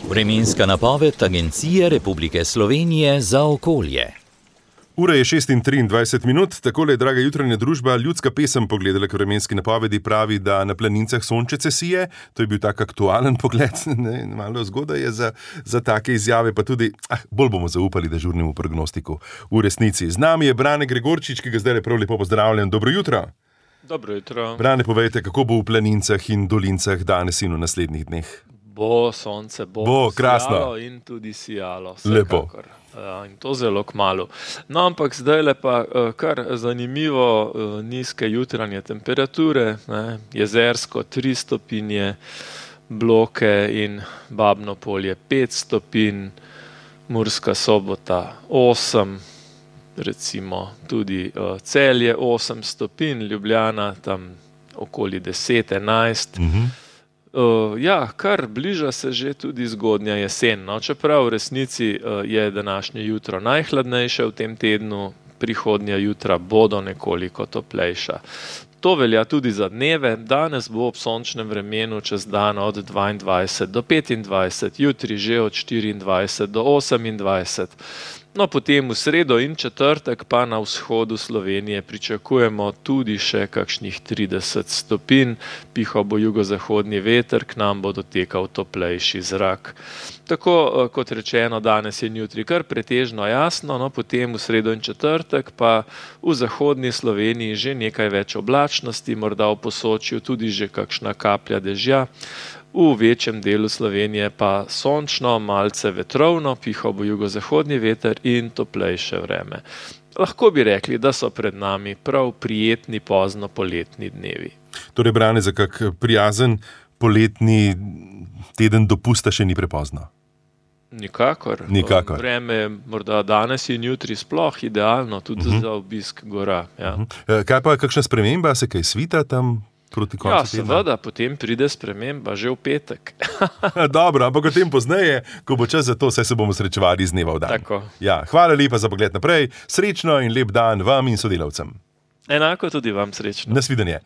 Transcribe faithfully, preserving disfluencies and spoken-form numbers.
Vremenska napoved Agencije Republike Slovenije za okolje. Ura je šest in triindvajset minut, takole je, draga jutranja družba, ljudska pesem pogledala k vremenski napovedi, pravi, da na planincah sončece sije. To je bil tak aktualen pogled, ne, malo zgodaj je za, za take izjave, pa tudi, ah, bolj bomo zaupali dežurnemu prognostiku v resnici. Z nami je Brane Gregorčič, ki ga zdaj prav lepo pozdravljam. Dobro jutro. Dobro jutro. Brane, povejte, kako bo v planincah in dolincah danes in v naslednjih dneh? Bo sonce, bo, bo krasno in tudi sijalo. Lepo. Uh, in to zelo kmalu. No, ampak zdaj le pa uh, kar zanimivo uh, nizke jutranje temperature, ne, Jezersko tri stopinje, Bloke in Babno Polje pet stopinj, Murska Sobota osem, recimo tudi uh, Celje osem stopinj, Ljubljana tam okoli deset, enajst. Mhm. Uh, ja, kar bliža se že tudi zgodnja jesen, no, čeprav v resnici uh, je današnje jutro najhladnejše v tem tednu, prihodnja jutra bodo nekoliko toplejša. To velja tudi za dneve, danes bo ob sončnem vremenu čez dan od dvaindvajset do petindvajset, jutri že od štiriindvajset do osemindvajset. No, potem v sredo in četrtek pa na vzhodu Slovenije pričakujemo tudi še kakšnih trideset stopinj, pihal bo jugozahodni veter, k nam bo dotekal toplejši zrak. Tako kot rečeno, danes in jutri kar pretežno jasno, no, potem v sredo in četrtek pa v zahodni Sloveniji že nekaj več oblačnosti, morda v Posočju tudi že kakšna kaplja dežja. V večjem delu Slovenije pa sončno, malce vetrovno, pihal bo jugozahodni veter in toplejše vreme. Lahko bi rekli, da so pred nami prav prijetni pozno poletni dnevi. Torej, Brane, za kak prijazen poletni teden dopusta še ni prepozno? Nikakor. Nikakor. Vreme je morda danes in jutri sploh idealno, tudi uh-huh. za obisk gora. Ja. Uh-huh. Kaj pa, kakšna sprememba, se kaj svita tam? Ja, seveda, potem pride sprememba že v petek. Dobro, ampak o tem pozneje, ko bo čas za to, saj se bomo srečevali iz dneva v dan. Tako. Ja, hvala lepa za pogled naprej, srečno in lep dan vam in sodelavcem. Enako tudi vam srečno. Nasvidenje.